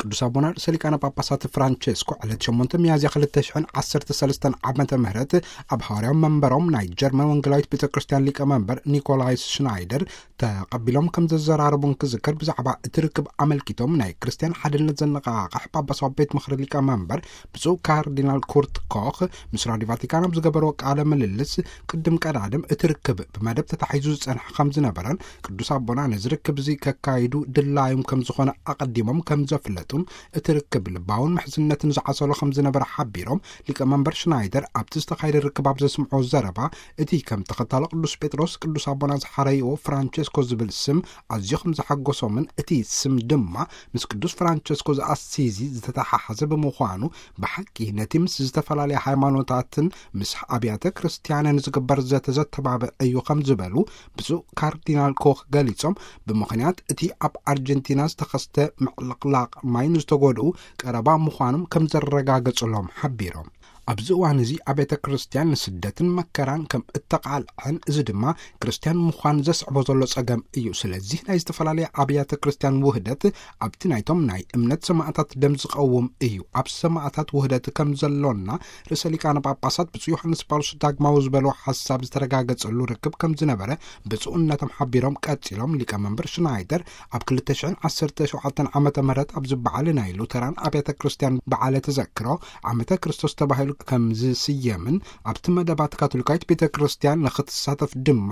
ቅዱስ ኣቦና ርእሰ ሊቃነ ጳጳሳት ፍራንቸስኮ ዕለት ሸሞንተ ሚያዝያ ክልተ ሽሕን ዓሰርተ ሰለስተን ዓመተ ምህረት ኣብ ሃዋርያዊ መንበሮም ናይ ጀርመን ወንጌላዊት ቤተ ክርስቲያን ሊቀ መንበር ኒኮላይስ ሽናይደር ተቐቢሎም ከም ዘዘራረቡን ክዝከር፣ ብዛዕባ እቲ ርክብ ኣመልኪቶም ናይ ክርስቲያን ሓድነት ዘነቓቕሕ ጳጳሳዊ ቤት ምኽሪ ሊቀ መንበር ብፁዕ ካርዲናል ኩርት ኮኽ ምስ ራዲዮ ቫቲካን ኣብ ዝገበርዎ ቃለ ምልልስ፣ ቅድም ቀዳድም እቲ ርክብ ብመደብ ተታሒዙ ዝጸንሐ ከም ዝነበረን ቅዱስ ኣቦና ነዚ ርክብ እዚ ከካይዱ ድላዮም ከም ዝኾነ ኣቐዲሞም ከም ዘፍለጡን፣ እቲ ርክብ ልባውን ምሕዝነትን ዝዓሰሎ ከም ዝነበረ ሓቢሮም፣ ሊቀ መንበር ሽናይደር ኣብቲ ዝተኻየደ ርክብ ኣብ ዘስምዖ ዘረባ፣ እቲ ከም ተኸታሊ ቅዱስ ጴጥሮስ ቅዱስ ኣቦና ዝሓረይዎ ፍራንቸስኮ ዝብል ስም ኣዝዩ ከም ዘሓጎሶምን፣ እቲ ስም ድማ ምስ ቅዱስ ፍራንቸስኮ ዘኣሲዚ ዝተተሓሓዘ ብምዃኑ፣ ብሓቂ ነቲ ምስ ዝተፈላለያ ሃይማኖታትን ምስ ኣብያተ ክርስቲያንን ዝግበር ዘተ ዘተባብዕ እዩ ከም ዝበሉ ብፁዕ ካርዲናል ኮኽ ገሊጾም፣ ብምኽንያት እቲ ኣብ ኣርጀንቲና ዝተኸስተ ምዕልቕላቕ ማይ ንዝተጎድኡ ቀረባ ምዃኖም ከም ዘረጋገጹሎም ሓቢሮም። ኣብዚ እዋን እዚ ኣብያተ ክርስቲያን ንስደትን መከራን ከም እተቓልዐን፣ እዚ ድማ ክርስቲያን ምዃን ዘስዕቦ ዘሎ ጸገም እዩ። ስለዚህ ናይ ዝተፈላለያ ኣብያተ ክርስቲያን ውህደት ኣብቲ ናይቶም ናይ እምነት ሰማዕታት ደም ዝቐውም እዩ። ኣብ ሰማዕታት ውህደት ከም ዘሎና ርእሰ ሊቃነ ጳጳሳት ብፁዕ ዮሃንስ ጳውሎስ ዳግማዊ ዝበሎ ሓሳብ ዝተረጋገጸሉ ርክብ ከም ዝነበረ ብፁዕነቶም ሓቢሮም ቀጺሎም፣ ሊቀ መንበር ሽናይደር ኣብ ክልተ ሽሕን ዓሰርተ ሸውዓተን ዓመተ ምህረት ኣብዚ በዓል ናይ ሉተራን ኣብያተ ክርስቲያን በዓለ ተዘክሮ ዓመተ ክርስቶስ ተባሂሉ ከም ዝስየምን ኣብቲ መደባት ካቶሊካዊት ቤተ ክርስቲያን ንኽትሳተፍ ድማ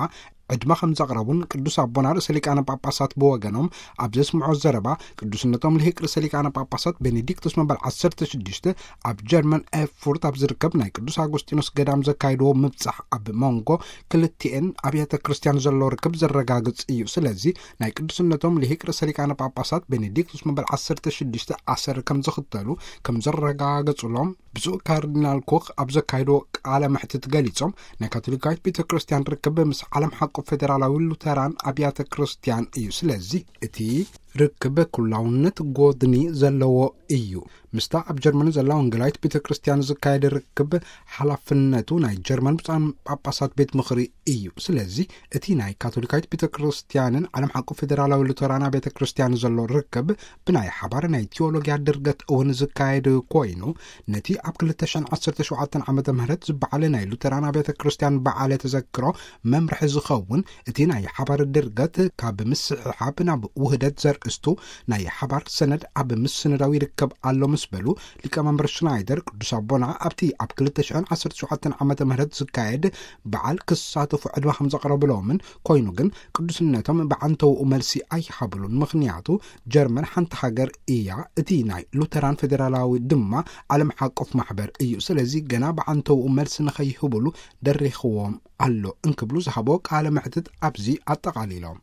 ዕድመ ከም ዘቕረቡን ቅዱስ ኣቦና ርእሰ ሊቃነ ጳጳሳት ብወገኖም ኣብ ዘስምዖ ዘረባ፣ ቅዱስነቶም ልሂቅ ርእሰ ሊቃነ ጳጳሳት ቤኔዲክቶስ መበል ዓሰርተ ሽዱሽተ ኣብ ጀርመን ኤርፉርት ኣብ ዝርከብ ናይ ቅዱስ ኣጉስጢኖስ ገዳም ዘካይድዎ ምብጻሕ ኣብ መንጎ ክልቲኤን ኣብያተ ክርስቲያን ዘሎ ርክብ ዘረጋግጽ እዩ። ስለዚ ናይ ቅዱስነቶም ልሂቅ ርእሰ ሊቃነ ጳጳሳት ቤኔዲክቶስ መበል ዓሰርተ ሽዱሽተ ኣሰር ከም ዝኽተሉ ከም ዘረጋገጹሎም ብፁዕ ካርዲናል ኮኽ ኣብ ዘካይዶ ቃለ መሕትት ገሊጾም፣ ናይ ካቶሊካዊት ቤተ ክርስቲያን ርክብ ምስ ዓለም ሓቆ ፌዴራላዊ ሉተራን ኣብያተ ክርስቲያን እዩ። ስለዚ እቲ ርክብ ኩላውነት ጎድኒ ዘለዎ እዩ። ምስታ ኣብ ጀርመን ዘላ ወንጌላዊት ቤተ ክርስቲያን ዝካየድ ርክብ ሓላፍነቱ ናይ ጀርመን ብፁዓን ጳጳሳት ቤት ምኽሪ እዩ። ስለዚ እቲ ናይ ካቶሊካዊት ቤተ ክርስቲያንን ዓለም ሓቆ ፌዴራላዊ ሉተራን ቤተ ክርስቲያን ዘሎ ርክብ ብናይ ሓባር ናይ ቲዮሎጊያ ድርገት እውን ዝካየድ ኮይኑ፣ ነቲ ኣብ ክልተ ሽሕን ዓሰርተ ሸውዓተን ዓመተ ምህረት ዝበዓለ ናይ ሉተራን ቤተ ክርስቲያን በዓለ ተዘክሮ መምርሒ ዝኸውን፣ እቲ ናይ ሓባር ድርገት ካብ ምስሕሓብ ናብ ውህደት ዘርእስቱ ናይ ሓባር ሰነድ ኣብ ምስንዳው ይርከብ ኣሎ ምስ በሉ፣ ሊቀ መንበር ሽናይደር ቅዱስ ኣቦና ኣብቲ ኣብ ክልተ ሽሕን ዓሰርተ ሸውዓተን ዓመተ ምህረት ዝካየድ በዓል ክሳተፉ ዕድመ ከም ዘቕረብሎምን፣ ኮይኑ ግን ቅዱስነቶም ብዓንተውኡ መልሲ ኣይሃብሉን። ምኽንያቱ ጀርመን ሓንቲ ሃገር እያ። እቲ ናይ ሉተራን ፌዴራላዊ ድማ ዓለም ሓቆፍ ማሕበር እዩ። ስለዚ ገና ብዓንተውኡ መልሲ ንኸይህብሉ ደሪኽዎም ኣሎ እንክብሉ ዝሃቦ ቃለ መሕትት ኣብዚ ኣጠቓሊሎም።